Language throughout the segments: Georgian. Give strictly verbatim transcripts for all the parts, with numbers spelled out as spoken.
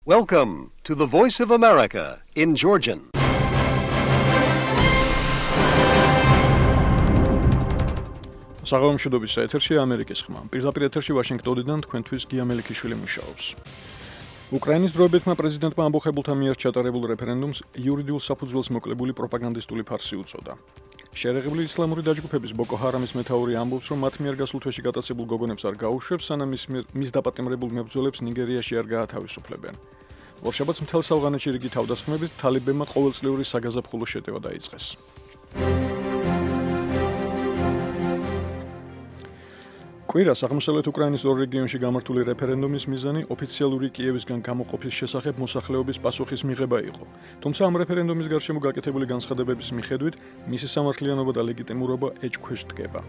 Welcome to the Voice of America in Georgian. საღამომშვიდობის ეთერში ამერიკის ხმა. პირდაპირ ეთერში ვაშინგტონიდან თქვენთვის გია მელიქიშვილი მუშაობს. უკრაინის დროებითმა პრეზიდენტმა ამბოხებულთა მიერ ჩატარებულ რეფერენდუმს იურიდიულ საფუძველს მოკლებული პროპაგანდისტული ფარსი უწოდა. შეერაღებული ისლამური დაჯგუფების ბოკო ჰარამის მეთაური ამბობს, რომ მათ მიერ გასულ თვეში გატაცებულ გოგონებს არ გაუშვებს, სანამ მის დაპატიმრებულ მებრძოლებს ნიგერიაში არ გაათავისუფლებენ. ორშაბათს მთელ ავღანეთში რიგი თავდასხმებით თალიბებმა ყოველწლიური საგაზაფხულო შეტევა დაიწყეს. კვირას აღმოსავლეთ უკრაინის ორ რეგიონში გამართული რეფერენდუმის მიზანი ოფიციალური კიევისგან გამოყოფის შესახებ მოსახლეობის პასუხის მიღება იყო. თუმცა ამ რეფერენდუმის გარშემო გაკეთებული განცხადებების მიხედვით მისი სამართლიანობა და ლეგიტიმურობა ეჭქვეშ დგება.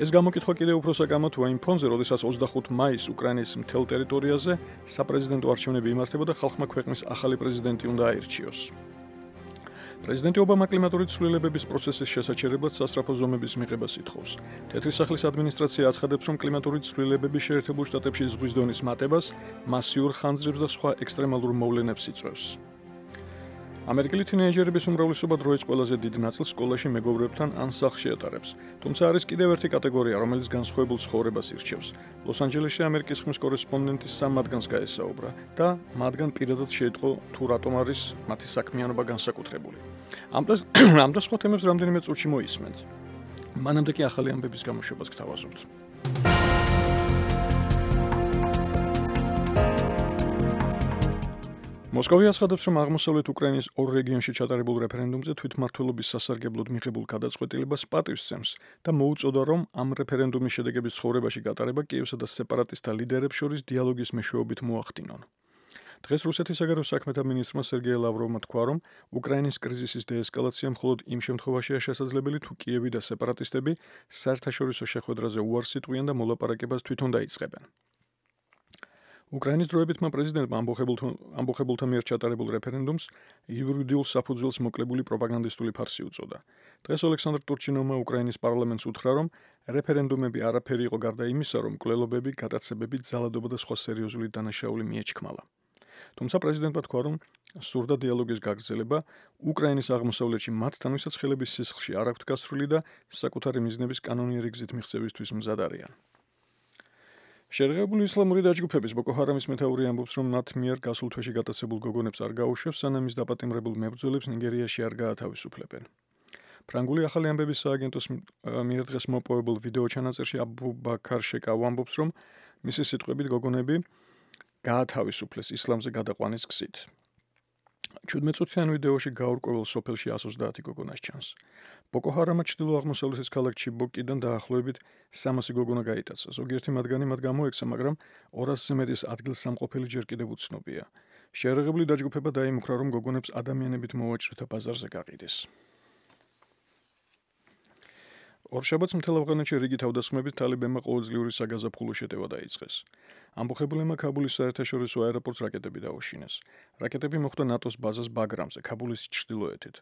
ეს გამოკითხვა კიდევ უფრო საკამათოა იმ ფონზე, როდესაც ოცდახუთი მაისს უკრაინის მთელ ტერიტორიაზე საპრეზიდენტო არჩევნები იმართება და ხალხმა ქვეყნის ახალი პრეზიდენტი უნდა აირჩიოს. პრეზიდენტი ობამა კლიმატური ცვლილებების პროცესის შესაჩერებლად სასწრაფო ზომების მიღებას ითხოვს. თეთრი სახლის ადმინისტრაცია აცხადებს, რომ კლიმატური ცვლილებები შეერთებულ შტატებში ზღვის დონის მატებას, მასიურ ხანძრებს და სხვა ექსტრემალურ მოვლენებს იწვევს. ამერიკელი თინეიჯერების უმრავლესობა დროის ყველაზე დიდ ნაწილს სკოლაში მეგობრებთან ან სახლში ატარებს. თუმცა არის კიდევ ერთი კატეგორია, რომელიც განსხვავებულ ცხოვრებას ირჩევს. ლოს-ანჯელესში ამერიკის ხმის კორესპონდენტი სამ მათგანს გაესაუბრა და მათგან პირადად შეიტყო თუ რატომ არის მათი საქმიანობა განსაკუთრებული. ამ და სხვა თემებს რამდენიმე წუთში მოისმენთ. მანამდე კი ახალი ამბების გამოშვებას გთავაზობთ. მოსკოვი აცხადებს, რომ აღმოსავლეთ უკრაინის ორ რეგიონში ჩატარებულ რეფერენდუმზე თვითმმართველობის სასარგებლოდ მიღებულ გადაწყვეტილებას პატივსცემს და მოუწოდა, რომ ამ რეფერენდუმის შედეგების ცხოვრებაში გატარება კიევსა და სეპარატისტთა ლიდერებს შორის დიალოგის მეშვეობით მოახდინონ. დღეს რუსეთის საგარეო საქმეთა მინისტრმა სერგეი ლავროვმა თქვა, რომ უკრაინის კრიზისის დეესკალაცია მხოლოდ იმ შემთხვევაშია შესაძლებელი, თუ კიევი და სეპარატისტები საერთაშორისო შეხვედრაზე უარს იტყვიან და მოლაპარაკებას თვითონ დაიწყებენ. უკრაინის დროებითმა პრეზიდენტმა ამბოხებულთა მიერ ჩატარებულ რეფერენდუმს იურიდიულ საფუძველს მოკლებული პროპაგანდისტული ფარსი უწოდა. დღეს ოლექსანდრ ტურჩინოვმა უკრაინის პარლამენტს უთხრა, რომ რეფერენდუმები არაფერი იყო გარდა იმისა, რომ მკვლელობები, გატაცებები, ძალადობა და სხვა სერიოზული დანაშაული მიეჩქმალა. თუმცა პრეზიდენტმა თქვა, რომ სურდა დიალოგის გაგრძელება, უკრაინის აღმოსავლეთში მათთან ვისაც ხელების სისხლში არ აქვთ გასრული და საკუთარი მიზნების კანონიერი გზით მიღწევისთვის მზად არიან. შეერაღებული ისლამური დაჯგუფების ბოკო ჰარამის მეთაური ამბობს, რომ მათ მიერ გასულ თვეში გატაცებულ გოგონებს არ გაუშვებს, სანამ მის დაპატიმრებულ მებრძოლებს ნიგერიაში არ გაათავისუფლებენ. ფრანგული ახალი ამბების სააგენტოს მიერ დღეს მოპოვებულ ვიდეო ჩანაწერში აბუ ბაქარ შეკავ ამბობს, რომ მისი სიტყვებით გოგონები გაათავისუფლეს ისლამზე გადაყვანის გზით. ჩვიდმეტწუთიან ვიდეოში გაურკვეველ სოფელში ას ოცდაათი გოგონას ჩანს. ბოკო ჰარამმა ჩრდილო-აღმოსავლეთის ქალაქ ჩიბოკიდან დაახლოებით სამასი გოგონა გაიტაცა. ზოგიერთი მათგანი მათ გამოექცა, მაგრამ ორასზე მეტის ადგილსამყოფელი ჯერ კიდევ უცნობია. შეერაღებული დაჯგუფება დაიმუქრა, რომ გოგონებს ადამიანებით მოვაჭრეთა ბაზარზე გაყიდეს. ორშაბათს მთელ ავღანეთში რიგი თავდასხმებით თალიბებმა ყოველწლიური საგაზაფხულო შეტევა დაიწყეს. ამბოხებულებმა ქაბულის საერთაშორისო აეროპორტს რაკეტები დაუშინეს. რაკეტები მოხვდა ნატოს ბაზას ბაგრამზე, ქაბულის ჩრდილოეთით.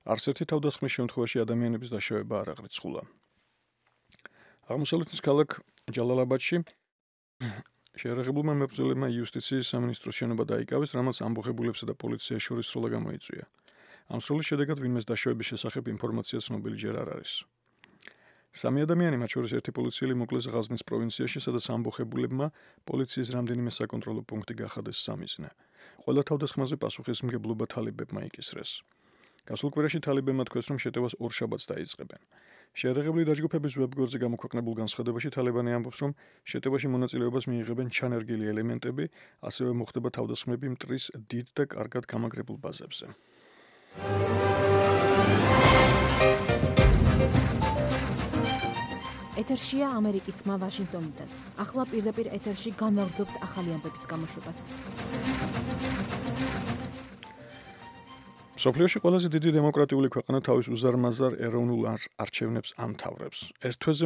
არც ერთი თავდასხმის შემთხვევაში ადამიანების დაშავება არ აღრიცხულა. აღმოსავლეთის ქალაქ ჯალალაბადში შეერაღებულმა მებრძოლებმა იუსტიციის სამინისტროს შენობა დაიკავეს, რამაც ამბოხებულებსა და პოლიციას შორის სროლა გამოიწვია. ამ სროლის შედეგად ვინმეს დაშავების შესახებ ინფორმაცია ცნობილი ჯერ არ არის. სამი ადამიანი, მათ შორის ერთი პოლიციელი მოკლეს ღაზნის პროვინციაში, სადაც ამბოხებულებმა პოლიციის რამდენიმე საკონტროლო პუნქტი გახადეს სამიზნე. ყველა თავდასხმაზე პასუხისმგებლობა თალიბებმა იკისრეს. გასულ კვირაში თალიბებმა თქვეს, რომ შეტევას ორშაბათს დაიწყებენ. შეერაღებული დაჯგუფების ვებგვერდზე გამოქვეყნებულ განცხადებაში თალიბანი ამბობს, რომ შეტევაში მონაწილეობას მიიღებენ ჩანერგილი ელემენტები, ასევე მოხდება თავდასხმები მტრის დიდ და კარგად გამაგრებულ ბაზებზე. ეთერშია ამერიკის ხმა ვაშინგტონიდან. ახლა პირდაპირ ეთერში განვაგრძობთ ახალი ამბების გამოშვებას. მსოფლიოში ყველაზე დიდი დემოკრატიული ქვეყანა თავის უზარმაზარ ეროვნულ არჩევნებს ამთავრებს. ერთ თვეზე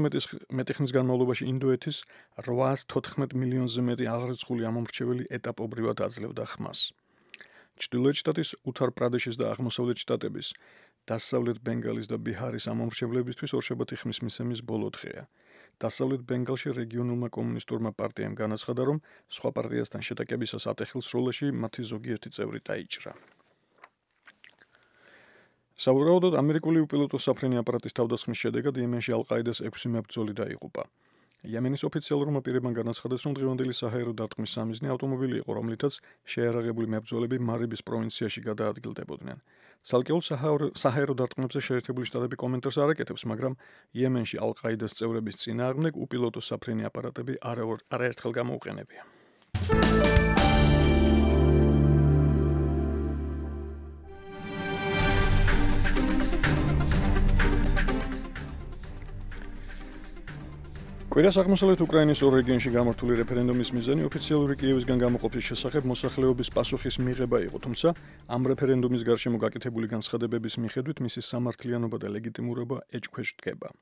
მეტი ხნის განმავლობაში ინდოეთის რვაას თოთხმეტ მილიონზე მეტი აღრიცხული ამომრჩეველი ეტაპობრივად აძლევდა ხმას. ჩრდილოეთ შტატის უთარ პრადეშის და აღმოსავლეთ შტატების, დასავლეთ ბენგალის და ბიჰარის ამომრჩევლებისთვის ორშაბათი ხმის მისცემის ბოლო დღეა. დასავლეთ ბენგალში რეგიონულმა კომუნისტურმა პარტიამ განაცხადა, რომ სხვა პარტიასთან შეტაკებისას ატეხილს როლში მათი ზოგიერთი წევრი დაიჭრა. სავარაუდოდ ამერიკული უპილოტო საფრენი აპარატის თავდასხმის შედეგად იემენში ალ-ყაიდას ექვსი მებრძოლი დაიღუპა. იემენის ოფიციალურმა პირებმა განაცხადეს, რომ დღევანდელი საჰაერო დარტყმის სამიზნე ავტომობილი იყო, რომლითაც შეიარაღებული მებრძოლები მარიბის პროვინციაში გადაადგილდებოდნენ. ცალკეულ საჰაერო დარტყმებზე შეერთებული შტატები კომენტარს არ აკეთებს, მაგრამ იემენში ალ-ყაიდას წევრების წინააღმდეგ უპილოტო საფრენი აპარატები არაერთხელ გამოუყენებია. კვირას აღმოსავლეთ უკრაინის ორ რეგიონში გამართული რეფერენდუმის მიზანი ოფიციალური კიევისგან გამოყოფის შესახებ მოსახლეობის პასუხის მიღება იყო, თუმცა ამ რეფერენდუმის გარშემო გაკეთებული განცხადებების მიხედვით მისი სამართლიანობა და ლეგიტიმურობა ეჭქვეშ დგება.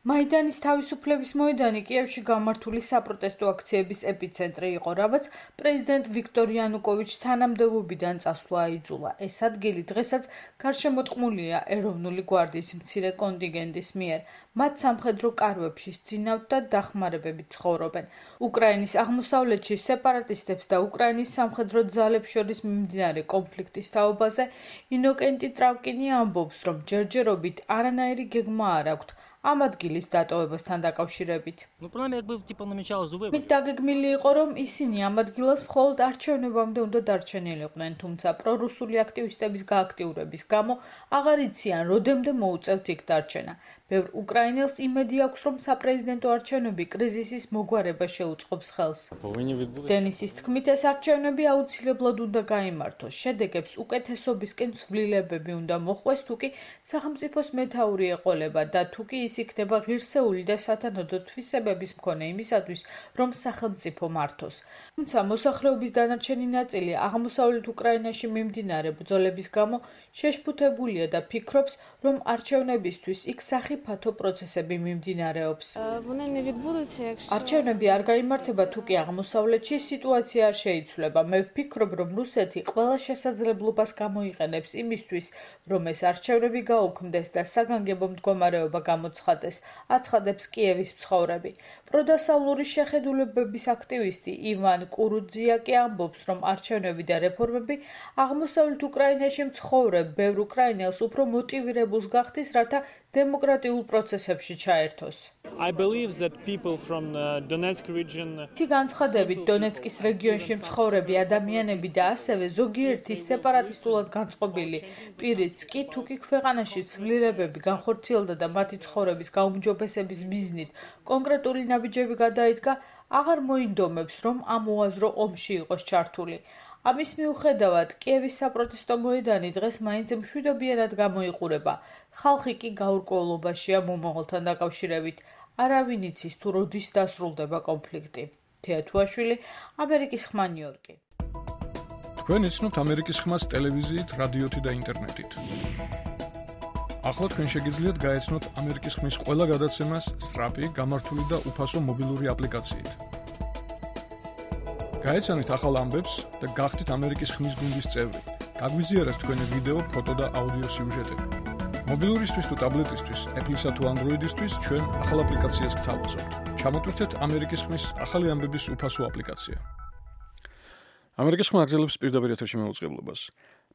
მაიდანის თავისუფლების მოედანი კიევში გამართული საპროტესტო აქციების ეპიცენტრი იყო, რამაც პრეზიდენტ ვიქტორ იანუკოვიჩს თანამდებობიდან წასვლა აიძულა. ეს ადგილი დღესაც გარშემოტყმულია ეროვნული გვარდიის მცირე კონტინგენტის მიერ. მათ სამხედრო კარვებში სძინავთ და დახმარებებით ცხოვრობენ. უკრაინის აღმოსავლეთში სეპარატისტებს და უკრაინის სამხედრო ძალებს შორის მიმდინარე კონფლიქტის თაობაზე ინოკენტი ტრავკინი ამბობს, რომ ჯერჯერობით არანაირი გეგმა არ აქვთ ამ ადგილის დატოვებასთან დაკავშირებით. მით დაგეგმილი იყო, რომ ისინი ამ ადგილას მხოლოდ არჩევნებამდე უნდა დარჩენილიყვნენ, თუმცა პრორუსული აქტივისტების გააქტიურების გამო აღარ იციან, როდემდე მოუწევთ იქ დარჩენა. ბევრ უკრაინელს იმედი აქვს, რომ საპრეზიდენტო არჩევნები კრიზისის მოგვარება შეუწყობს ხელს. დენისის თქმით, ეს არჩევნები აუცილებლად უნდა გაიმართოს. შედეგებს უკეთესობისკენ ცვლილებები უნდა მოხვეს, თუკი სახელმწიფოს მეთაური ეყოლება და თუკი ის იქნება ღირსეული და სათანადო თვისებების მქონე იმისათვის, რომ სახელმწიფო მართოს. თუმცა მოსახლეობის დანარჩენი ნაწილი აღმოსავლეთ უკრაინაში მიმდინარე ბრძოლების გამო შეშფუთებულია და ფიქრობს, რომ არჩევნებისთვის იქ სახიფათო პროცესები მიმდინარეობს. არჩევნები არ გაიმართება, თუკი აღმოსავლეთში სიტუაცია არ შეიცვლება. მე ვფიქრობ, რომ რუსეთი ყველა შესაძლებლობას გამოიყენებს იმისთვის, რომ ეს არჩევნები გაუქმდეს და საგანგებო მდგომარეობა გამოცხადდეს, აცხადებს კიევის მცხოვრები. პროდასავლური შეხედულებების აქტივისტი ივან კურუძიაკი ამბობს, რომ არჩევნები და რეფორმები აღმოსავლეთ უკრაინაში მცხოვრებ ბევრ უკრაინელს უფრო მოტივირებულს გახდის, რათა დემოკრატიულ პროცესებში ჩაერთოს. თი განცხადებით დონეცკის რეგიონში მცხოვრები ადამიანები და ასევე ზოგიერთი სეპარატისტულად განწყობილი პირიც კი თუკი ქვეყანაში ცვლილებები განხორციელდა და მათი ცხოვრების გაუმჯობესების მიზნით კონკრეტული ნაბიჯები გადაიდგა, აღარ მოინდომებს, რომ ამ უაზრო ომში იყოს ჩართული. ამის მიუხედავად, კიევის საპროტესტო მოედანი დღეს მაინც მშვიდობიანად გამოიყურება. ხალხი კი გაურკვევლობაშია მომავალთან დაკავშირებით. არავინ იცის თუ როდის დასრულდება კონფლიქტი. თეა თუაშვილი, ამერიკის ხმა ნიუ-იორკი. თქვენ იცნობთ ამერიკის ხმას ტელევიზიით, რადიოთი და ინტერნეტით. ახლა თქვენ შეგიძლიათ გაეცნოთ ამერიკის ხმის ყველა გადაცემას სწრაფი, გამართული და უფასო მობილური აპლიკაციით. გაეცანით ახალ ამბებს და გახდით ამერიკის ხმის გუნდის წევრი. გაგვიზიარეთ თქვენი ვიდეო, ფოტო და აუდიო სიუჟეტები. მობილურისთვის თუ ტაბლეტისთვის, Apple-ისა თუ Android-ისთვის ჩვენ ახალ აპლიკაციას გთავაზობთ. ჩამოტვირთეთ ამერიკის ხმის ახალი ამბების უფასო აპლიკაცია. ამერიკის ხმა აგზელებს პირდაპირ ეთერში მაუწყებლობას.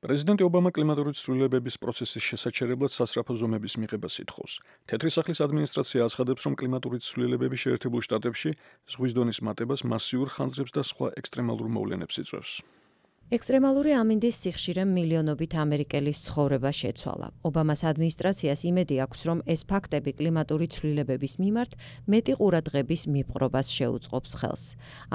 პრეზიდენტი ობამა კლიმატური ცვლილებების პროცესის შესაჩერებლად სასწრაფო ზომების მიღებას ითხოვს. თეთრი სახლის ადმინისტრაცია აცხადებს, რომ კლიმატური ცვლილებები შეერთებულ შტატებში ზღვის დონის მატებას, მასიურ ხანძრებს და სხვა ექსტრემალურ მოვლენებს იწვევს. ექსტრემალური ამინდის სიხშირემ მილიონობით ამერიკელის ცხოვრება შეცვალა. ობამას ადმინისტრაციას იმედი აქვს, რომ ეს ფაქტები კლიმატური ცვლილებების მიმართ მეტი ყურადღების მიპყრობას შეუწყობს ხელს.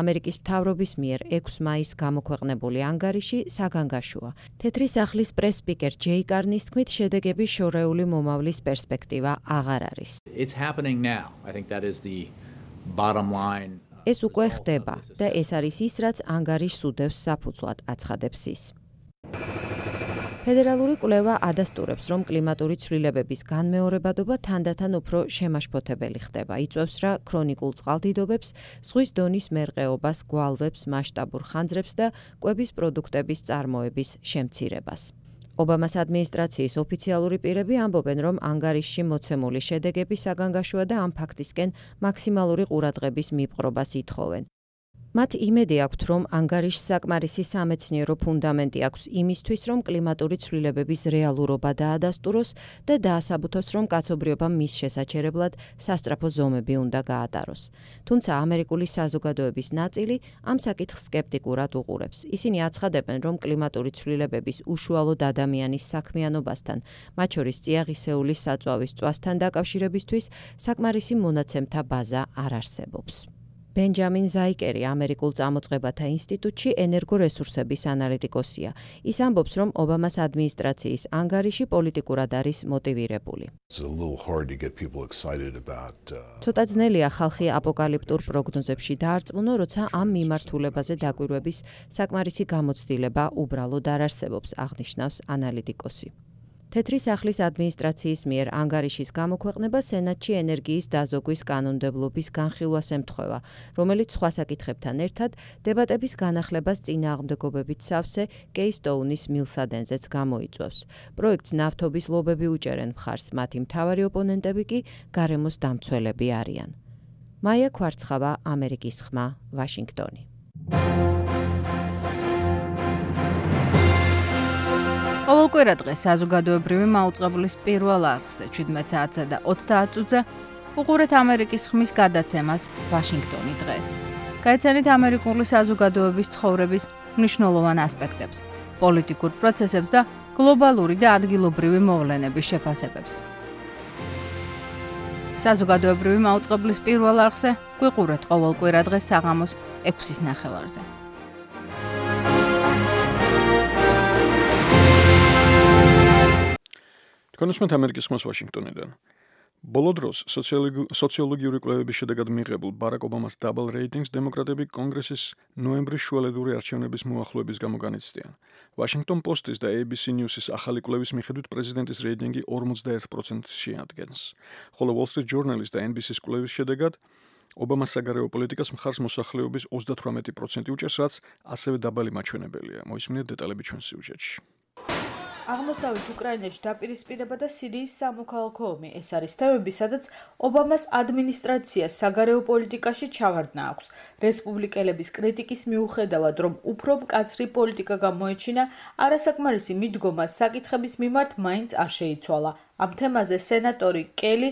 ამერიკის მთავრობის მიერ ექვსი მაისს გამოქვეყნებული ანგარიში საგანგაშოა. თეთრი სახლის პრეს-სპიკერ ჯეი კარნის თქმით, შედეგები შორეული მომავლის პერსპექტივა აღარ არის. It's happening now. I think that is the bottom line. ეს უკვე ხდება და ეს არის ის, რაც ანგარიშს უდევს საფუძვლად, აცხადებს ის. ფედერალური კვლევა ადასტურებს, რომ კლიმატური ცვლილებების განმეორებადობა თანდათან უფრო შემაშფოთებელი ხდება. იწვევს რა ქრონიკულ წყალდიდობებს, ზღვის დონის მერყეობას, გვალვებს, მასშტაბურ ხანძრებს და კვების პროდუქტების წარმოების შემცირებას. ობამას ადმინისტრაციის ოფიციალური პირები ამბობენ, რომ ანგარიშში მოცემული შედეგები საგანგაშოა და ამ ფაქტისკენ მაქსიმალური ყურადღების მიპყრობას ითხოვენ. მათ იმედი აქვთ, რომ ანგარიშს საკმარისი სამეცნიერო ფუნდამენტი აქვს იმისთვის, რომ კლიმატური ცვლილებების რეალურობა დაადასტუროს და დაასაბუთოს, რომ კაცობრიობამ მის შესაჩერებლად სასწრაფო ზომები უნდა გაატაროს. თუმცა ამერიკული საზოგადოების ნაწილი ამ საკითხს სკეპტიკურად უყურებს. ისინი აცხადებენ, რომ კლიმატური ცვლილებების უშუალოდ ადამიანის საქმიანობასთან, მათ შორის წიაღისეულის საწვავის წვასთან დაკავშირებისთვის საკმარისი მონაცემთა ბაზა არ არსებობს. ბენჯამინ ზაიკერი ამერიკულ წამოწყებათა ინსტიტუტში ენერგორესურსების ანალიტიკოსია. ის ამბობს, რომ ობამას ადმინისტრაციის ანგარიში პოლიტიკურად არის მოტივირებული. ცოტა ძნელია ხალხი აპოკალიპტურ პროგნოზებში დაარწმუნო, როცა ამ მიმართულებაზე დაკვირვების საკმარისი გამოცდილება უბრალოდ არ არსებობს, აღნიშნავს ანალიტიკოსი. თეთრი სახლის ადმინისტრაციის მიერ ანგარიშის გამოქვეყნება სენატში ენერგიის დაზოგვის კანონმდებლობის განხილვას ემთხვევა, რომელიც სხვა საკითხებთან ერთად დებატების განახლებას წინააღმდეგობებით სავსე კეისტოუნის მილსადენზეც გამოიწვევს. პროექტს ნავთობის ლობები უჭერენ მხარს, მათი მთავარი ოპონენტები კი გარემოს დამცველები არიან. მაია ქვარცხავა, ამერიკის ხმა, ვაშინგტონი. ყოველკვირა დღეს საზოგადოებრივი მაუწყებლის პირველ არხზე შვიდმეტ საათსა და ოცდაათ წუთზე უყურეთ ამერიკის ხმის გადაცემას ვაშინგტონი დღეს. გაიცანით ამერიკული საზოგადოების ცხოვრების მნიშვნელოვან ასპექტებს, პოლიტიკურ პროცესებს და გლობალური და ადგილობრივი მოვლენების შეფასებებს. საზოგადოებრივი მაუწყებლის პირველ არხზე გვიყურეთ ყოველკვირა დღეს საღამოს ექვსის ნახევარზე. კონსმენტ ამერიკის ხმას ვაშინგტონიდან. ბოლო დროს სოციოლოგიური კვლევების შედეგად მიღებულ ბარაკ ობამას დაბალ რეიტინგს დემოკრატები კონგრესის ნოემბრის შუალედური არჩევნების მოახლოების გამო განიცდიან. Washington Post-ის და A B C News-ის ახალი კვლევის მიხედვით პრეზიდენტის რეიტინგი ორმოცდაერთ პროცენტს შეადგენს. ხოლო Wall Street Journal-ის და N B C-ის კვლევის შედეგად ობამას საგარეო პოლიტიკას მხარს მოსახლეობის ოცდათვრამეტი პროცენტი უჭერს, რაც ასევე დაბალი მაჩვენებელია. მოისმინეთ დეტალები ჩვენ სიუჟეტში. აღმოსავლეთ უკრაინაში დაპირისპირება და სირიის სამოქალაქო ომი ეს არის თემები, სადაც ობამას ადმინისტრაციას საგარეო პოლიტიკაში ჩავარდნა აქვს. რესპუბლიკელების კრიტიკის მიუხედავად, რომ უფრო მკაცრი პოლიტიკა გამოეჩინა, არასაკმარისი მიდგომა საკითხების მიმართ მაინც არ შეიცვალა. ამ თემაზე სენატორი კელი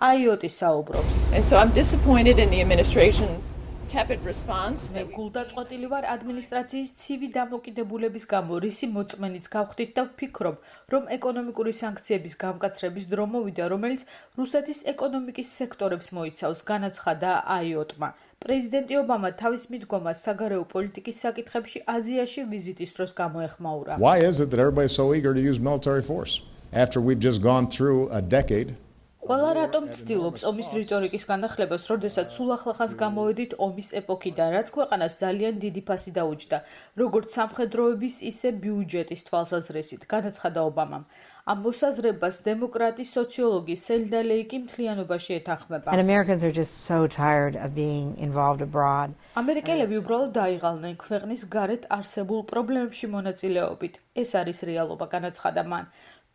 აიოტი საუბრობს. And so I'm disappointed in the administration's tepid response. მე გულდაწყვეტილი ვარ ადმინისტრაციის ცივი დამოკიდებულების გამო, რისი მოწმენიც გავხდით და ვფიქრობ, რომ ეკონომიკური სანქციების გამკაცრების დრო მოვიდა, რომელიც რუსეთის ეკონომიკის სექტორებს მოიცავს, განაცხადა აიოტმა. პრეზიდენტი ობამა თავის მიდგომას საგარეო პოლიტიკის საკითხებში აზიაში ვიზიტის დროს გამოეხმაურა. Why is it that everybody's so eager to use military force after we've just gone through a decade? ყველა რატომ ცდილობს ომის რიტორიკის განახლებას, როდესაც სულ ახლახანს გამოვედით ომის ეპოქიდან, რაც ქვეყანას ძალიან დიდი ფასი დაუჯდა, როგორც სამხედროების, ისე ბიუჯეტის თვალსაზრისით, განაცხადა ობამამ. ამ მოსაზრებას დემოკრატი სოციოლოგი სელდა ლეიკი მთლიანობაში ეთანხმება. And Americans are just so tired of being involved abroad. ამერიკელები უბრალოდ დაიღალნენ ქვეყნის გარეთ არსებულ პრობლემებში მონაწილეობით. ეს არის რეალობა, განაცხადა მან.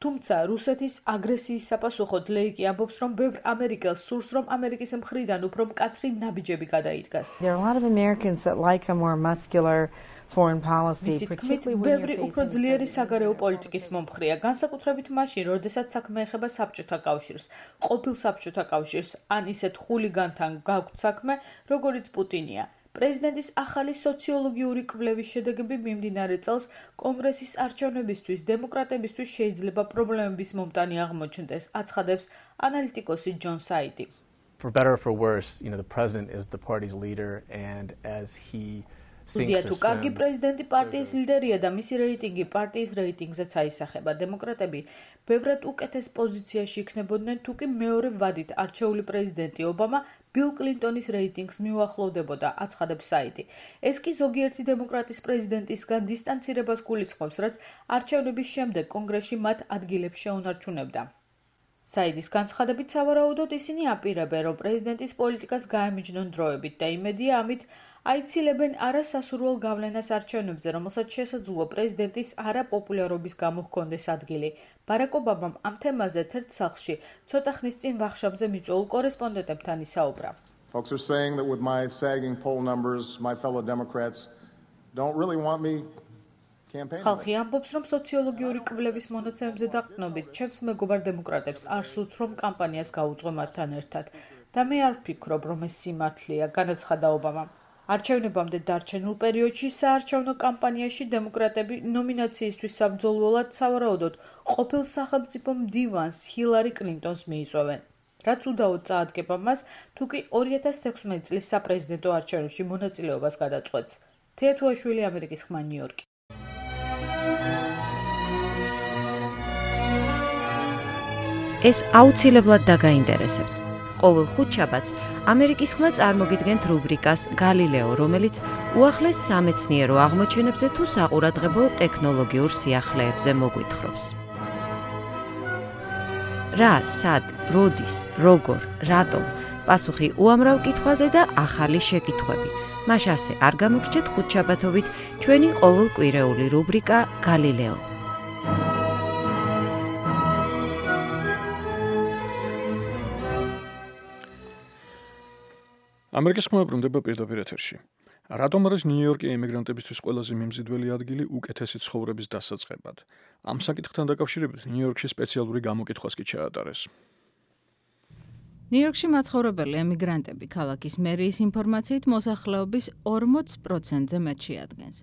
თუმცა რუსეთის აგრესიის საპასუხოდ ლეიკი ამბობს, რომ ბევრ ამერიკელს სურს, რომ ამერიკის მხრიდან უფრო მკაცრი ნაბიჯები გადაიდგას. There are a lot of Americans that like a more muscular foreign policy, მისი თქმით, ბევრი უფრო ძლიერი საგარეო პოლიტიკის მომხრეა, განსაკუთრებით მაშინ, როდესაც საქმე ეხება საბჭოთა კავშირს, ყოფილ საბჭოთა კავშირს, ან ისეთ ხულიგანთან გაქვთ საქმე, როგორიც პუტინია. პრეზიდენტის ახალი სოციოლოგიური კვლევის შედეგები მიმდინარე წელს კონგრესის არჩევნებისთვის დემოკრატებისთვის შეიძლება პრობლემების მომტანი აღმოჩნდეს, აცხადებს ანალიტიკოსი ჯონ საიდი. For better or for worse, you know, the president is the party's leader, and as he Უდია თუ კარგი პრეზიდენტი პარტიის ლიდერია და მისი რეიტინგი პარტიის რეიტინგზეც აისახება. დემოკრატები ბევრად უკეთეს პოზიციაში იქნებოდნენ, თუ კი მეორე ვადით არჩეული პრეზიდენტი ობამა ბილ კლინტონის რეიტინგს მიუახლოვდებოდა, აცხადებს საიდი. ეს კი ზოგიერთი დემოკრატის პრეზიდენტისგან დისტანცირებას გულისხმობს, რაც არჩევნების შემდეგ კონგრესში მათ ადგილებს შეუნარჩუნებდა. საიდის განცხადებით, სავარაუდოდ ისინი აპირებენ, რომ პრეზიდენტის პოლიტიკას გაემიჯნონ დროებით და იმედია ამით აიცილებენ არასასურველ გავლენას არჩევნებზე, რომელსაც შესაძლოა პრეზიდენტის არაპოპულარობის გამო ჰქონდეს ადგილი. ბარაკ ობამამ ამ თემაზე ერთ სახლში ცოტა ხნის წინ ვახშამზე მიწვეულ კორესპონდენტებთან ისაუბრა. Folks are saying that with my sagging poll numbers, my fellow Democrats don't really want me campaigning. ხალხი ამბობს, რომ სოციოლოგიური კვლევის მონაცემებზე დაყრდნობით, ჩემს მეგობარ დემოკრატებს არ სურთ, რომ კამპანიას გაუძღო მათთან ერთად. და მე არ ვფიქრობ, რომ ეს სიმართლეა, განაცხადა ობამამ. არჩევნებამდე დარჩენილ პერიოდში საარჩევნო კამპანიაში დემოკრატები ნომინაციისთვის საბრძოლველად სავარაუდოდ ყოფილ სახელმწიფო მდივანს ჰილარი კლინტონს მიიწვევენ. რაც უდაოდ წაადგება მას, თუ კი ორი ათას თექვსმეტი წლის საპრეზიდენტო არჩევნებში მონაწილეობას გადაწყვეტს. თეა თუაშვილი, ამერიკის ხმა, ნიუ-იორკი. ეს აუცილებლად დაგაინტერესებთ. ყოველ ხუთშაბათს ამერიკის ხმა წარმოგიდგენთ რუბრიკას გალილეო, რომელიც უახლეს სამეცნიერო აღმოჩენებზე თუ საყურადღებო ტექნოლოგიურ სიახლეებზე მოგვითხრობს. რა, სად, როდის, როგორ, რატომ? პასუხი უამრავ კითხვაზე და ახალი შეკითხვები. მას ასე არ გამოგრჩეთ ხუთშაბათობით ჩვენი ყოველკვირეული რუბრიკა გალილეო. ამერიკის ხმა ბრუნდება პირდაპირ ეთერში. რატომ არის ნიუ-იორკი ემიგრანტებისთვის ყველაზე მიმზიდველი ადგილი უკეთესი ცხოვრების დასაწყებად? ამ საკითხთან დაკავშირებით ნიუ-იორკში სპეციალური გამოკითხვას კი ჩაატარეს. ნიუ-იორკში მაცხოვრებელი ემიგრანტები ქალაქის მერიის ინფორმაციით მოსახლეობის ორმოც პროცენტზე მეტში ადგენს.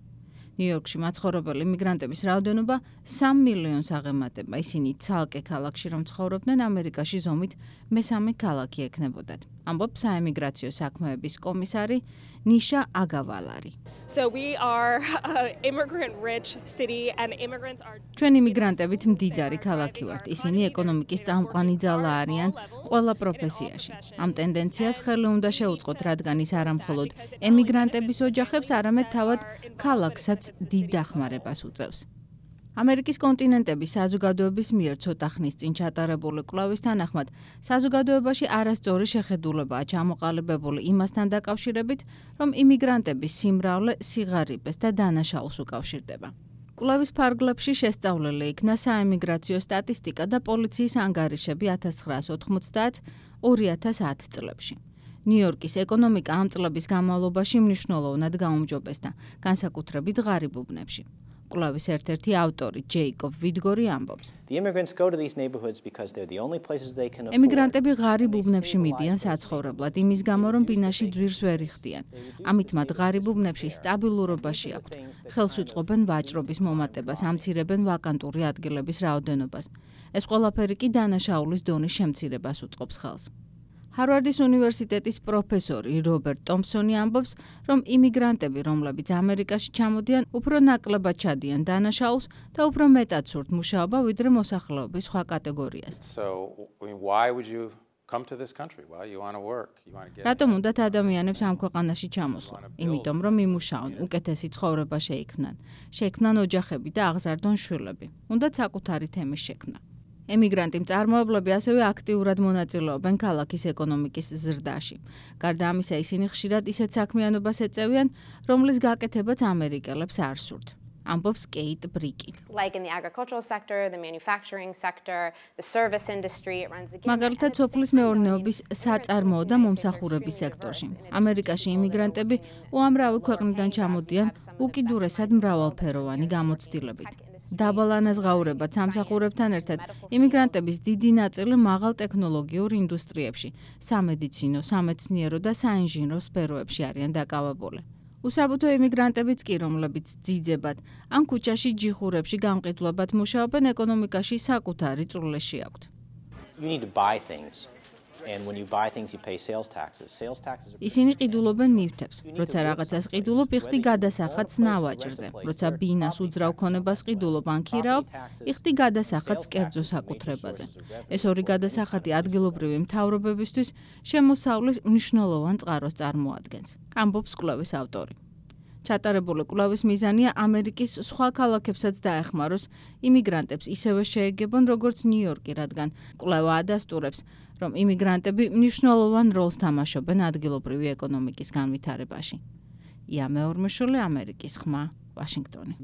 ნიუ-იორკში მაცხოვრებელი ემიგრანტების რაოდენობა სამ მილიონს აღემატება. ისინი ცალკე ქალაქში რომ ცხოვრობდნენ, ამერიკაში ზომით მესამე ქალაქი ექნებოდათ. ამბობს საემიგრაციო საქმეების კომისარი ნიშა აგავალარი. So we are an immigrant rich city and immigrants are ჩვენ იმიგრანტებით მდიდარი ქალაქი ვართ. ისინი ეკონომიკის წამყვანი ძალა არიან ყველა პროფესიაში. ამ ტენდენციას ხელი უნდა შეუწყოთ, რადგან ის არა მხოლოდ ემიგრანტების ოჯახებს, არამედ თავად ქალაქსაც დიდ დახმარებას უწევს. ამერიკის კონტინენტების საზოგადოების მიერ ცოტა ხნის წინ ჩატარებული კვლევის თანახმად, საზოგადოებაში არასწორი შეხედულებაა ჩამოყალიბებული იმასთან დაკავშირებით, რომ იმიგრანტების სიმრავლე სიღარიბეს და დანაშაულს უკავშირდება. კვლევის ფარგლებში შესწავლილი იქნა საემიგრაციო სტატისტიკა და პოლიციის ანგარიშები ათას ცხრაას ოთხმოცდაათ ორი ათას ათ წლებში. ნიუ-იორკის ეკონომიკა ამ წლების განმავლობაში მნიშვნელოვნად გაუმჯობესდა, განსაკუთრებით ღარიბ უბნებში. კვლევის ერთ-ერთი ავტორი ჯეიკობ ვიდგორი ამბობს. ემიგრანტები ღარიბ უბნებში მიდიან საცხოვრებლად, იმის გამო რომ ბინაში ძვირს ვერ იხდიან. ამით მათ ღარიბ უბნებში სტაბილურობაში აქვთ. ხელს უწყობენ ვაჭრობის მომატებას, ამცირებენ ვაკანტური ადგილების რაოდენობას. ეს ყველაფერი კი დანაშაულის დონის შემცირებას უწყობს ხელს. ჰარვარდის უნივერსიტეტის პროფესორი რობერტ ტომპსონი ამბობს, რომ იმიგრანტები, რომლებიც ამერიკაში ჩამოდიან, უფრო ნაკლებად ჩადიან დანაშაულს და უფრო მეტად სურთ მუშაობა, ვიდრე მოსახლეობის სხვა კატეგორიას. რატომ უნდათ ადამიანებს ამ ქვეყანაში ჩამოსვლა? იმიტომ, რომ იმუშაონ, უკეთესი ცხოვრება შეიქმნან, შეიქმნან ოჯახები და აღზარდონ შვილები. უნდათ საკუთარი თემის შექმნა. ემიგრანტი მწარმოებლები ასევე აქტიურად მონაწილეობენ ქალაქის ეკონომიკის ზრდაში. გარდა ამისა, ისინი ხშირად ისეთ საქმიანობას ეწევიან, რომლის გაკეთებაც ამერიკელებს არ სურთ. ამბობს კეიტ ბრიკი. მაგალითად, სოფლის მეურნეობის, საწარმოო და მომსახურების სექტორში. ამერიკაში იმიგრანტები უამრავი ქვეყნიდან ჩამოდიან უკიდურესად მრავალფეროვანი გამოცდილებით. დაბალ ანაზღაურებად სამსახურებთან ერთად იმიგრანტების დიდი ნაწილი მაღალ ტექნოლოგიურ ინდუსტრიებში, სამედიცინო, სამეცნიერო და საინჟინრო სფეროებში არიან დაკავებული. უსაბუთო იმიგრანტებიც კი, რომლებიც ძიძებად ან ქუჩაში ჯიხურებში გამყიდვლებად მუშაობენ, ეკონომიკაში საკუთარი წვლილში აქვთ. ისინი ყიდულობენ ნივთებს. როცა რაღაცას ყიდულობ, იხდი გადასახადს ნავაჭრზე. როცა ბინას უძრავ ქონებას ყიდულობ ან ქირაობ, იხდი გადასახადს კერძო საკუთრებაზე. ეს ორი გადასახადი ადგილობრივი მთავრობებისთვის შემოსავლის მნიშვნელოვან წყაროს წარმოადგენს. ამბობს კვლევის ავტორი. ჩატარებული კვლევის მიზანია ამერიკის სხვა ქალაქებსაც დაეხმაროს იმიგრანტებს ისევე შეეგებონ, როგორც ნიუ-იორკი, რადგან კვლევა ადასტურებს, რომ იმიგრანტები მნიშვნელოვან როლს თამაშობენ ადგილობრივი ეკონომიკის განვითარებაში. ია მეორმეშული, ამერიკის ხმა, ვაშინგტონი.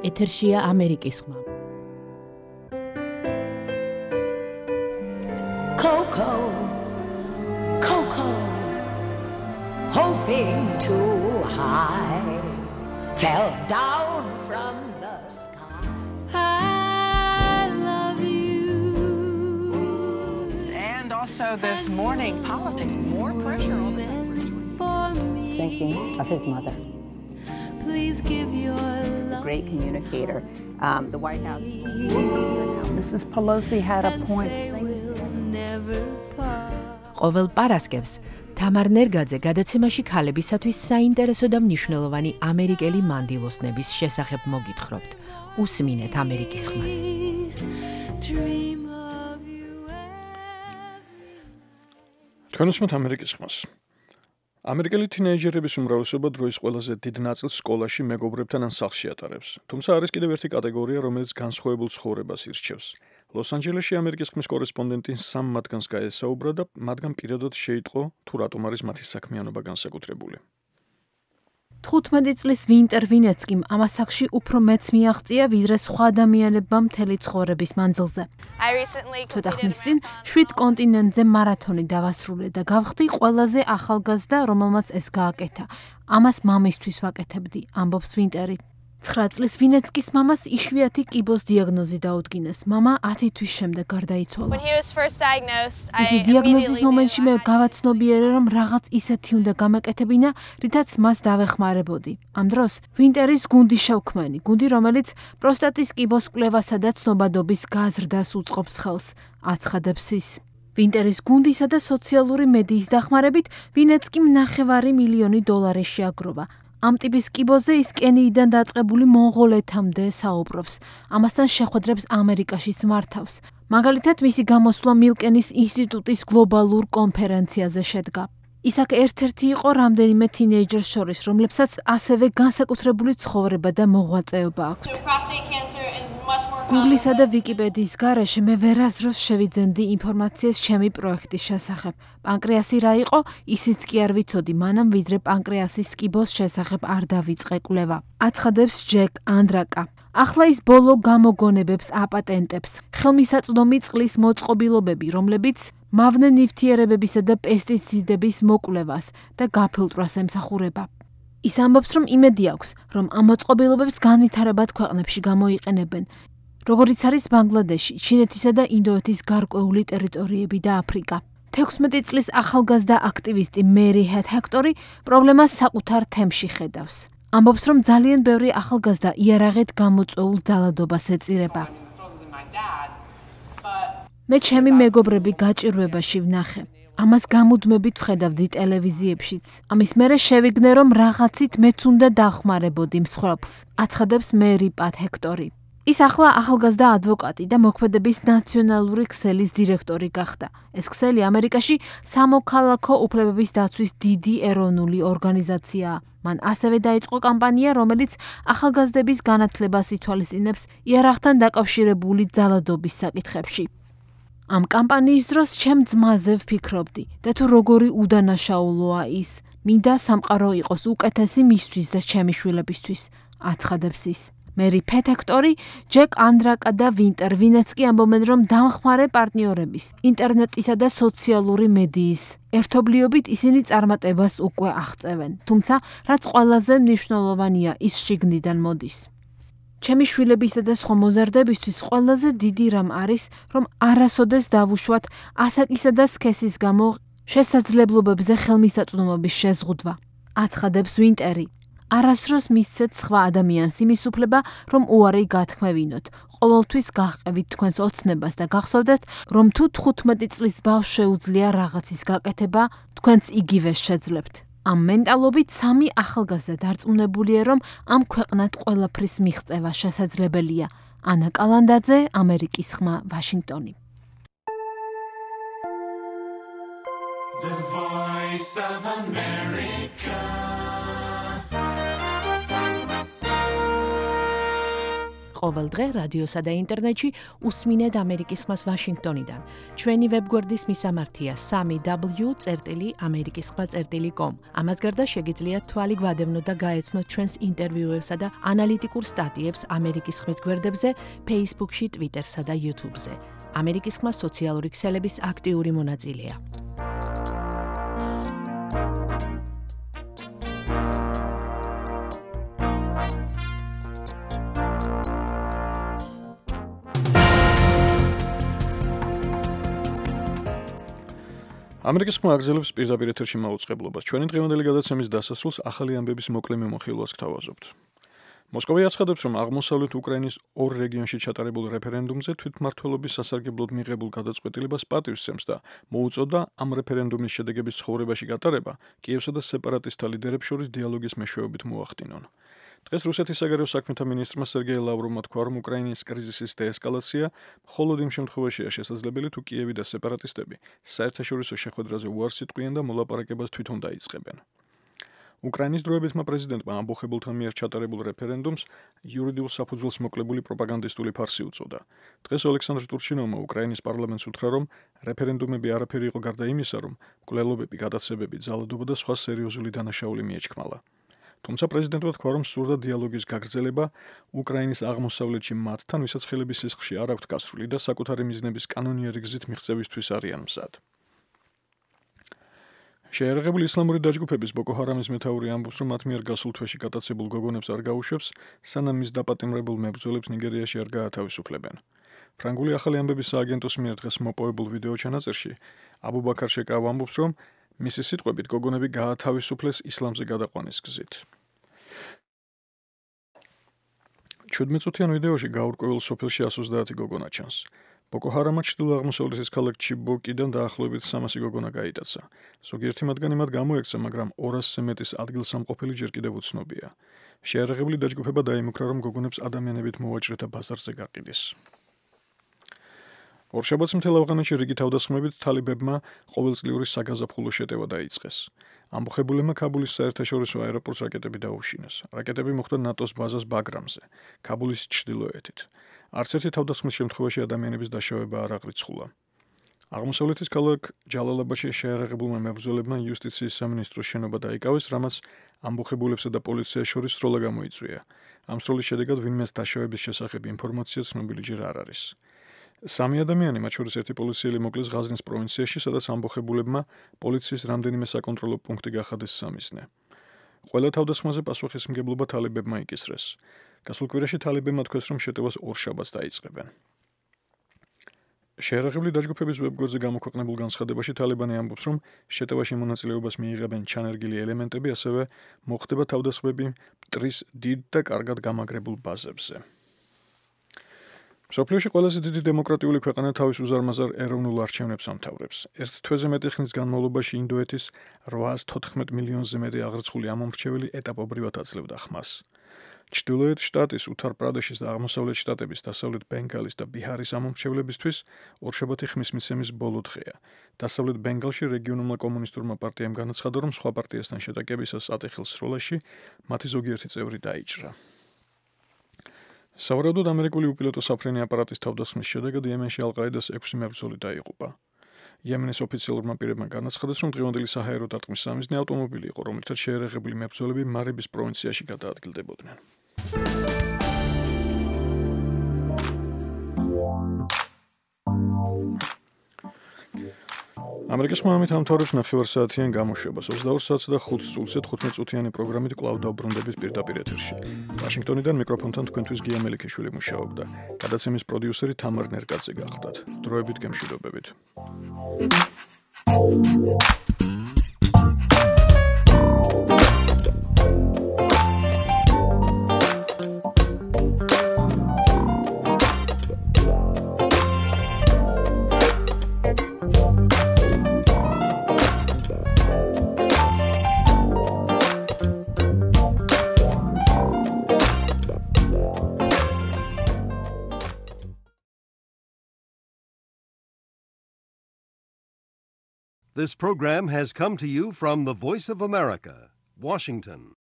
ეთერშია ამერიკის ხმა. Coco, Coco, hoping too high, fell down from the sky. I love you. And also this morning, politics, more pressure all the time for George. Thinking of his mother. Please give your love. Great communicator. Um, the White House. Missus Pelosi had a point. ყოველ პარასკევს თამარ ნერგაძე გადაცემაში ქალებისათვის საინტერესო და მნიშვნელოვანი ამერიკელი მანდილოსნების შესახებ მოგითხრობთ. უსმინეთ ამერიკის ხმას. თქვენ უსმენთ ამერიკის ხმას. ამერიკელი თინეიჯერების უმრავლესობა დროის ყველაზე დიდ ნაწილს სკოლაში მეგობრებთან ან სახლში ატარებს. თუმცა არის კიდევ ერთი კატეგორია, რომელიც განსხვავებულ ცხოვრებას ირჩევს. ლოს-ანჯელესში ამერიკის ხმის კორესპონდენტი სამ მათგანს გაესაუბრა და მათგან პირადად შეიტყო, თუ რატომ არის მათი საქმიანობა განსაკუთრებული. თხუთმეტი წლის ვინტერ ვინეცკიმ ამ ასაკში უფრო მეც მიაღწია, ვიდრე სხვა ადამიანებმა მთელი ცხოვრების მანძილზე. ცოტა ხნის წინ შვიდ კონტინენტზე მარათონი დავასრულე და გავხდი ყველაზე ახალგაზრდა, რომელმაც ეს გააკეთა. ამას მამისთვის ვაკეთებდი, ამბობს ვინტერი. ცხრა წლის ვინეცკის მამას იშვიათი კიბოს დიაგნოზი დაუდგინეს. მამა ათი თვის შემდეგ გარდაიცვალა. მისი დიაგნოზის მომენტში მე გავაცნობიერე, რომ რაღაც ისეთი უნდა გამეკეთებინა, რითაც მას დავეხმარებოდი. ამ დროს ვინტერის გუნდი შევქმანი, გუნდი, რომელიც პროსტატის კიბოს კვლევასა და ცნობადობის გაზრდას უწყობს ხელს, აცხადებს ის. ვინტერის გუნდისა და სოციალური მედიის დახმარებით ვინეცკიმ ნახევარი მილიონი დოლარი შეაგროვა. ამ ტიპის კიბოზე ის კენიიდან დაწყებული მონღოლეთამდე საუბრობს. ამასთან შეხვედრებს ამერიკაშიც მართავს. მაგალითად, მისი გამოსვლა მილკენის ინსტიტუტის გლობალურ კონფერენციაზე შედგა. ის აქ ერთ-ერთი იყო რამდენიმე თინეიჯერს შორის, რომლებსაც ასევე განსაკუთრებული ცხოვრება და მოღვაწეობა აქვთ. Google-ისა და Wikipedიის გარეშე მე ვერასდროს შევიძენდი ინფორმაციას ჩემი პროექტის შესახებ. პანკრეასი რა იყო, ისიც კი არ ვიცოდი, მანამ ვიდრე პანკრეასის კიბოს შესახებ არ დავიწყე კვლევა. აცხადებს ჯეკ ანდრაკა. ახლა ის ბოლო გამოგონებებს აპატენტებს. ხელმისაწვდომი წყლის მოწყობილობები, რომლებიც მავნე ნივთიერებებისა და პესტიციდების მოკვლევას და გაფილტრვას ემსახურება. ის ამბობს, რომ იმედი აქვს, რომ ამ მოწყობილობებს განვითარებად ქვეყნებში გამოიყენებენ. როგორც არის ბანგლადეში, ჩინეთისა და ინდოეთის გარკვეული ტერიტორიები და აფრიკა. თექვსმეტი წლის ახალგაზრდა აქტივისტი მერი ჰექტორი პრობლემას საკუთარ თემში ხედავს. ამბობს, რომ ძალიან ბევრი ახალგაზრდა იარაღით გამოწვეულ ძალადობას ეწირება. მე ჩემი მეგობრები გაჭირვებაში ვნახე. ამას გამუდმებით ვხედავდი ტელევიზიებშიც. ამის მერე შევიგნე, რომ რაღაცით მეც უნდა დავხმარებოდი მსხვერპლს, აცხადებს მერი პატ ჰექტორი. ის ახლა ახალგაზრდა ადვოკატი და მოქმედების ნაციონალური ქსელის დირექტორი გახდა. ეს ქსელი ამერიკაში სამოქალაქო უფლებების დაცვის დიდი ეროვნული ორგანიზაციაა. მან ასევე დაიწყო კამპანია, რომელიც ახალგაზრდების განათლებას ითვალისწინებს იარაღთან დაკავშირებული ძალადობის საკითხებში. ამ კამპანიის დროს ჩემ ძმაზე ვფიქრობდი და თუ როგორი უდანაშაულოა ის. მინდა სამყარო იყოს უკეთესი მისთვის და ჩემი შვილებისთვის, აცხადებს ის. მერი ჰექტორი, ჯეკ ანდრაკა და ვინტერ ვინეცკი ამბობენ, რომ დამხმარე პარტნიორების, ინტერნეტისა და სოციალური მედიის ერთობლიობით ისინი წარმატებას უკვე აღწევენ. თუმცა, რაც ყველაზე მნიშვნელოვანია, ის შიგნიდან მოდის. ჩემი შვილებისა და სხვა მოზარდებისთვის ყველაზე დიდი რამ არის, რომ არასოდეს დავუშვათ ასაკისა და სქესის გამო შესაძლებლობებზე ხელმისაწვდომობის შეზღუდვა. აცხადებს ვინტერი. არასდროს მისცეთ სხვა ადამიანს იმის უფლება, რომ უარი გათქმევინოთ. ყოველთვის გაჰყევით თქვენს ოცნებას და გახსოვდეთ, რომ თუ თხუთმეტი წლის ბავშვს შეუძლია რაღაცის გაკეთება, თქვენც იგივე შეძლებთ. ამ მენტალობით სამი ახალგაზრდა დარწმუნებულია, რომ ამ ქვეყნად ყველაფრის მიღწევა შესაძლებელია. ანა კალანდაძე, ამერიკის ხმა, ვაშინგტონი. The Voice of America. ყოველდღე რადიოსა და ინტერნეტში უსმინეთ ამერიკის ხმას ვაშინგტონიდან. ჩვენი ვებგვერდის მისამართია სამი დაბლიუ წერტილი ამერიკის ხმა წერტილი კომ. ამას გარდა შეგიძლიათ თვალი გვადევნოთ და გაეცნოთ ჩვენს ინტერვიუებსა და ანალიტიკურ სტატიებს ამერიკის ხმის გვერდებზე, Facebook-ში, Twitter-სა და YouTube-ზე. ამერიკის ხმა სოციალური ქსელების აქტიური მონაწილეა. ამერიკის ხმა აგზელებს პირდაპირ ეთერში მაუწყებლობას. ჩვენი დღევანდელი გადაცემის დასასრულს ახალი ამბების მოკლე მიმოხილვას გთავაზობთ. მოსკოვი აცხადებს, რომ აღმოსავლეთ უკრაინის ორ რეგიონში ჩატარებულ რეფერენდუმზე თვითმმართველობის სასარგებლოდ მიღებულ გადაწყვეტილებას პატივს სცემს და მოუწოდა ამ რეფერენდუმის შედეგების ცხოვრებაში გატარება კიევსა და სეპარატისტთა ლიდერებს შორის დიალოგის მეშვეობით მოახდინონ. დღეს რუსეთის საგარეო საქმეთა მინისტრმა სერგეი ლავროვმა თქვა, რომ უკრაინის კრიზისის დეესკალაცია მხოლოდ იმ შემთხვევაშია შესაძლებელი, თუ კიევი და სეპარატისტები საერთაშორისო შეხვედრაზე უარს იტყვიან და მოლაპარაკებას თვითონ დაიწყებენ. უკრაინის დროებითმა პრეზიდენტმა ამბოხებულთა მიერ ჩატარებულ რეფერენდუმს იურიდიულ საფუძველს მოკლებული პროპაგანდისტული ფარსი უწოდა. დღეს ოლექსანდრ ტურჩინოვმა უკრაინის პარლამენტს უთხრა, რომ რეფერენდუმები არაფერი იყო გარდა იმისა, რომ მკვლელობები, გადაცებები, ძალადობა და სხვა სერიოზული დანაშაული მიეჩქმალა. თუმცა პრეზიდენტმა თქვა, რომ სურდა დიალოგის გაგრძელება უკრაინის აღმოსავლეთში მათთან, ვისაც ხელების სისხლში არ აქვთ გასრული და საკუთარი მიზნების კანონიერი გზით მიღწევისთვის არიან მზად. შეიარაღებული ისლამური დაჯგუფების ბოკო ჰარამის მეთაური ამბობს, რომ მათ მიერ გასულ თვეში გატაცებულ გოგონებს არ გაუშვებს, სანამ მის დაპატიმრებულ მებრძოლებს ნიგერიაში არ გაათავისუფლებენ. ფრანგული ახალი ამბების სააგენტოს მიერ დღეს მოპოვებულ ვიდეო ჩანაწერში აბუ ბაქარ შეკავ ამბობს, რომ მისი სიტყვებით გოგონები გაათავისუფლეს ისლამზე გადაყვანის გზით. შვიდმეტწუთიან ვიდეოში გაურკვეველ სოფელში ოცდაათი გოგონა ჩანს. ბოკო ჰარამმა ჩრდილო-აღმოსავლეთის ქალაქ ჩიბოკიდან დაახლოებით სამასი გოგონა გაიტაცა. ზოგიერთი მათგანი მათ გამოექცა, მაგრამ ორასზე მეტის ადგილსამყოფელი ჯერ კიდევ უცნობია. შეიარაღებული დაჯგუფება დაიმუქრა, რომ გოგონებს ადამიანებით მოვაჭრეთა ბაზარზე გაყიდეს. ორშაბათს მთელ ავღანეთში რიგი თავდასხმებით თალიბებმა ყოველწლიური საგაზაფხულო შეტევა დაიწყეს. ამბოხებულებმა ქაბულის საერთაშორისო აეროპორტს რაკეტები დაუშინეს. რაკეტები მოხვდა ნატოს ბაზას ბაგრამზე, ქაბულის ჩრდილოეთით. არც ერთი თავდასხმის შემთხვევაში ადამიანების დაშავება არ აღრიცხულა. აღმოსავლეთის ქალაქ ჯალალაბადში შეიარაღებულმა მებრძოლებმა იუსტიციის სამინისტროს შენობა დაიკავეს, რამაც ამბოხებულებსა და პოლიციას შორის სროლა გამოიწვია. ამ სროლის შედეგად ვინმეს დაშავების შესახებ ინფორმაცია ცნობილი ჯერ არ არის. სამი ადამიანი, მათ შორის ერთი პოლიციელი მოკლეს ღაზნის პროვინციაში, სადაც ამბოხებულებმა პოლიციის რამდენიმე საკონტროლო პუნქტი გახადეს სამიზნე. ყველა თავდასხმაზე პასუხისმგებლობა თალიბებმა იკისრეს. გასულ კვირაში თალიბებმა თქვეს, რომ შეტევას ორშაბათს დაიწყებენ. შეიარაღებული დაჯგუფების ვებგვერდზე გამოქვეყნებულ განცხადებაში თალიბანი ამბობს, რომ შეტევაში მონაწილეობას მიიღებენ ჩანერგილი ელემენტები, ასევე მოხდება თავდასხმები მტრის დიდ და კარგად გამაგრებულ ბაზებზე. მსოფლიოში ყველაზე დიდი დემოკრატიული ქვეყანა თავის უზარმაზარ ეროვნულ არჩევნებს ამთავრებს. ერთ თვეზე მეტი ხნის განმავლობაში ინდოეთის რვაას თოთხმეტ მილიონზე მეტი აღრიცხული ამომრჩეველი ეტაპობრივად აძლევდა ხმას. ჩრდილოეთ შტატის, უთარ-პრადეშის და აღმოსავლეთ შტატების, დასავლეთ ბენგალის და ბიჰარის ამომრჩევლებისთვის ორშაბათი ხმის მიცემის ბოლო დღეა. დასავლეთ ბენგალში რეგიონულმა კომუნისტურმა პარტიამ განაცხადა, რომ სხვა პარტიასთან შეტაკებისას ატეხილ სროლაში მათი ზოგიერთი წევრი დაიჭრა. სავარაუდოდ ამერიკული უპილოტო საფრენი აპარატის თავდასხმის შედეგად იემენში ალ-ყაიდას ექვსი მებრძოლი დაიღუპა. იემენის ოფიციალურმა პირებმა განაცხადეს, რომ დღევანდელი საჰაერო დარტყმის სამიზნე ავტომობილი იყო, რომლითაც შეიარაღებული მებრძოლები მარიბის პროვინციაში გადაადგილდებოდნენ. ამერიკის ხმამით ამთავრებს ნახევარსაათიან გამოშვებას. ოცდაორ საათსა და ხუთ წუთზე თხუთმეტ წუთიანი პროგრამით კვლავ დავბრუნდებით პირდაპირ ეთერში. ვაშინგტონიდან მიკროფონთან თქვენთვის გია მელიქიშვილი მუშაობდა. გადაცემის პროდიუსერი თამარ ნერკაძე გახლდათ. დროებით გემშვიდობებით. This program has come to you from the Voice of America, Washington.